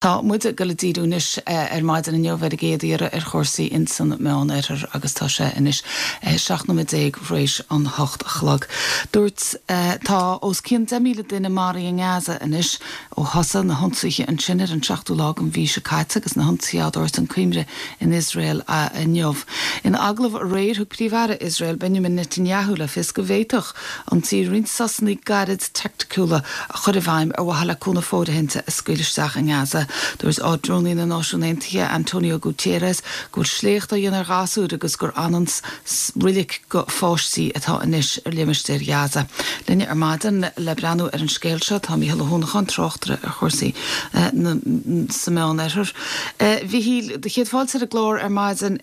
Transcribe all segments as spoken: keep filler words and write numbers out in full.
Tá muid ag dul ag díriú anois ar maidin inniu ar an gcéad iarraidh ar chúrsaí insan Meánoirthear agus tá sé anois seacht nóiméad déag tar éis an hocht a chlog. Dúirt tá os cionn deich míle duine maraithe i nGaza anois ó thosaigh na hionsaithe ansin ar an seachtú lá den mhí seo caite agus na hionsaithe á dtabhairt chun cuimhne in Iosrael inniu. In agallamh aréir thug Príomh-Aire Iosrael Benjamin Netanyahu le fios go bhféadfadh an tír roinnt sosanna gairid teaicticiúla a chur i bhfeidhm ar mhaithe le cúnamh fóirithinte a scaoileadh isteach i nGaza. Dúirt Ard-Rúnaí na Náisiún Aontaithe Antonio Guterres go bhfuil sléacht á dhéanamh ar ghasúir agus gur ann roilig go pháistí atá anois ar limistéar Gaza. Linn ar maidin le breathnú ar an scéal seo tá Mícheál Ó hUanacháin tráchtaire ar chúrsaí sa Meánoirthear. Mhíchíl do chéad fáilte ar an gclár ar maidin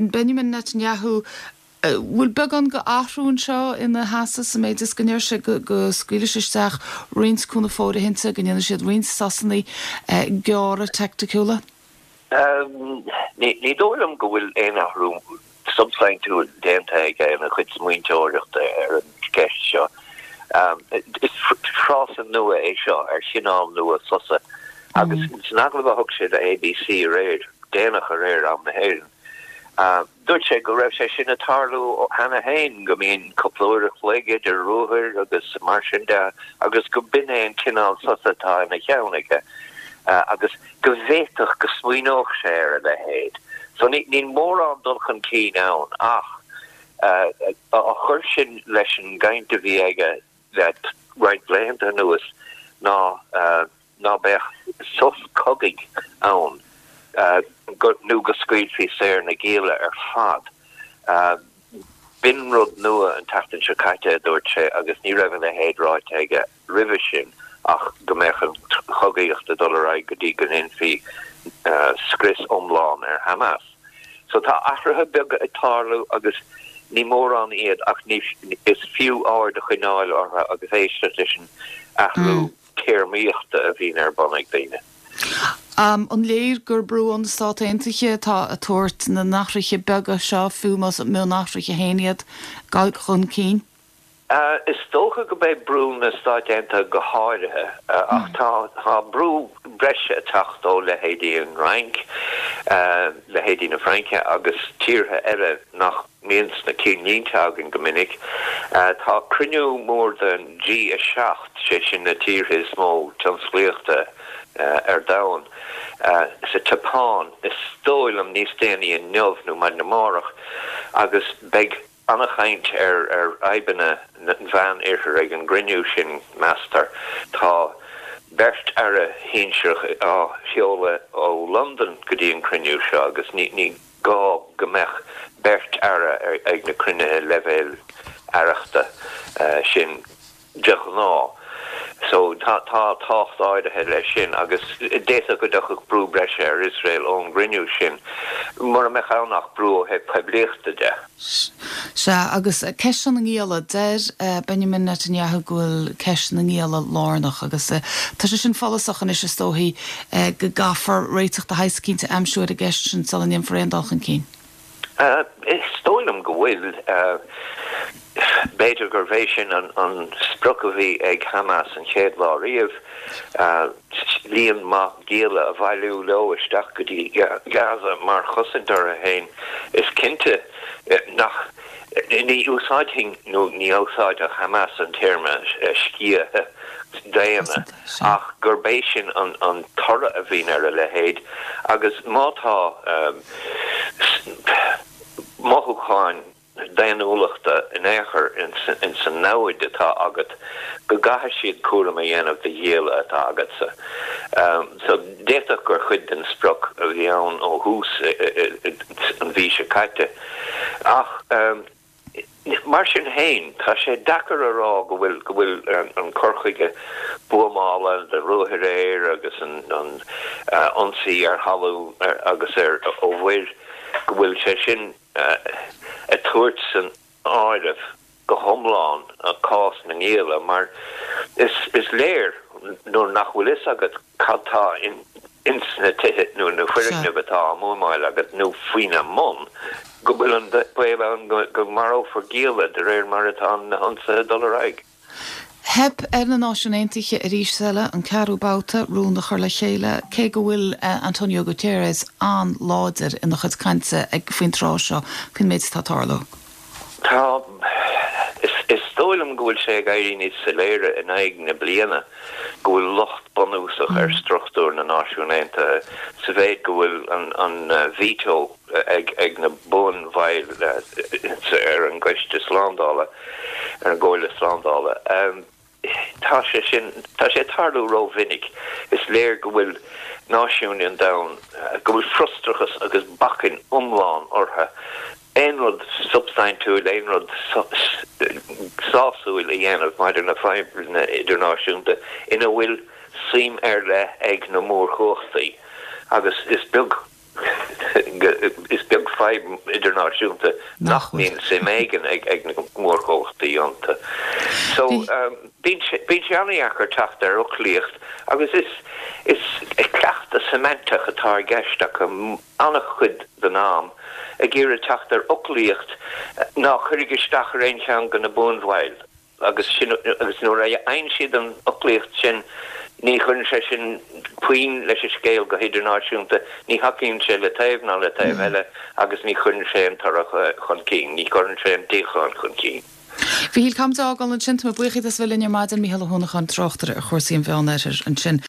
Benjamin Netanyahu bhfuil beagán go athrú anseo ina sheasamh sa méid is go ndeir sé go go scaoilfidh sé isteach roinnt cúnamh fóirithinte go ndéanfaidh siad roinnt sosanna gearra teaicticiúla? Ní dóigh liom go bhfuil aon athrú substaintiúil déanta aige ina chuid smaointeoireachta ar an gceist seo. Is frása nua é seo ar chineál nua sosa agus san agallamh a thug sé do ABC aréir, déanach aréir am na hÉireann. Dúirt sé go raibh sé sin ag tarlú cheana féin, go mbíonn cúpla uair a chloig idir ruathair agus mar sin de agus go b'in é an cineál sosa atá ina cheann aige agus go bhféadfadh go smaoineodh sé ar a leithéid. So níl mórán dul chun cinn ann ach á chur sin leis an gcaint a bhí aige le roinnt laethanta anuas ná ná beadh sos cogaidh ann nó go scaoilfí saor na gialla ar fad. B'in rud nua an tseachtain seo caite, a dúirt sé, agus ní raibh a leithéid ráite aige roimhe sin ach go mbeadh an chogaíocht ag dul ar aghaidh go dtí go ndéanfaí scrios iomlán ar Hamas. So tá athruithe beaga ag tarlú agus ní mórán iad ach ní is fiú aird a choinneáil orthu agus éisteacht leis an athrú téarmaíochta a bhíonn ar bun ag daoine. An léir gur brú ó na Stát Aontaithe atá ag tabhairt na n-athruithe beaga seo, fiú más mionathruithe féin iad, chun cinn? Is dócha go mbeidh brú na Stáit Aontaithe go háirithe, ach tá tá brú breise ag teacht ó leithéidí an Fhrainc, leithéidí na Fraince agus tíortha eile nach mbíonn sna cinnlínte againn go minic. Tá cruinniú mór den G a seacht, sé sin na tíortha is mó tionsclaíochta ar domhan, sa tSeapáin, is dóigh liom níos déanaí inniu nó maidin amárach, agus beidh an-chaint ar ar fhadhbanna an Mheán-Oirthir ag an gcruinniú sin, meastar. Tá beirt aire shinsearach á sheoladh ó Londain go dtí an cruinniú seo agus ní ní gá go mbeadh beirt aire ag na cruinnithe leibhéil aireachta sin de ghnáth. So tá tá tábhacht áirithe leis sin agus d'fhéadfadh go dtiocfadh brú breise ar Iosrael ón gcruinniú sin, mura mbeadh ann ach brú ó thaobh poiblíochta de. Sea, agus ceist na ngialla, deir Benjamin Netanyahu go bhfuil ceist na ngialla lárnach agus tá sé sin follasach anois is dóichí go gcaithfear réiteach de shaghas eicínt a aimsiú ar an gceist sin sula ndéanfar aon dul chun cinn. Is dóigh liom go bhfuil. B'fhéidir gurbh é sin an sprioc a bhí ag Hamas an chéad lá riamh, líon maith gialla a bhailiú leo isteach go dtí Gaza mar chosaint orthu féin. Is cinnte nach, ní úsáidfinn, nó ní úsáidfeadh Hamas an téarma sciath daonna ach gurb é sin an toradh a bhíonn ar a leithéid agus má tá mothúcháin daonnúlachta in aon chor ins an namhaid atá agat go gcaithfidh siad cúram a dhéanamh de ghialla atá agatsa. So d'fhéadfadh gur chuid den sprioc a bhí ann ó thús an mhí seo caite. Ach mar sin féin, tá sé deacair a rá go bhfuil go bhfuil an cur chuige buamála, de ruathair aeir agus an ionsaí ar thalamh agus ar ó mhuir, go bhfuil sé sin ag tabhairt san áireamh go hiomlán cás na ngialla mar is léir nuair nach bhfuil fhios agat cad tá ins na tithe nó na foirgnimh atá á mbuamáil agat nó faoina mbun go bhfuil an baol ann go marófar gialla de réir mar atá na hionsaithe ag dul ar aghaidh. Theip ar na Náisiúin Aontaithe arís eile an ceathrú babhta rún a chur le chéile, cé go bhfuil Antonio Guterres an-láidir ina chuid cainte ag faoin tráth seo faoin méid atá ag tarlú. Tá is dóigh liom go bhfuil sé ag éirí níos soiléire in aghaidh na bliana go bhfuil locht bunúsach ar struchtúr na Náisiún Aontaithe sa mhéid go bhfuil an, an veto ag, ag na buanbhaill ar an gCoiste Slándála ar an gComhairle Slándála. Um, tá sé sin tá sé tarlú rómhinic is léir go bhfuil náisiúin an domhain go bhfuil frustrachas agus bacainn iomlán orthu aon rud substaintiúil aon rud sásúil a dhéanamh maidir le fadhbanna idirnáisiúnta ina bhfuil suim ar leith ag na mórchumhachtaí agus is beag is beag fadhb idirnáisiúnta nach mbíonn suim éigin ag ag na mórchumhachtaí iontu. So um, bíonn sé an-deacair teacht ar fhoclaíocht agus is is cleachtadh semantic atá i gceist acu an-chuid den am ag iarraidh teacht ar fhoclaíocht nach gcuirfidh isteach ar aon cheann de na buanbhaill agus sin agus nuair a fhaigheann siad an fhoclaíocht sin ní chuireann sé sin puinn leis an scéal go hidirnáisiúnta ní thacaíonn sé le taobh ná le taobh eile agus ní chuireann sé an toradh chun cinn, ní chuireann sé an tsíocháin chun cinn. Mhíchíl caithfimid é a fhágáil ansin tá mé buíoch as a bheith linn ar maidin Mícheál Ó hUanacháin tráchtaire ar chúrsaí an Mheánoirthir ansin.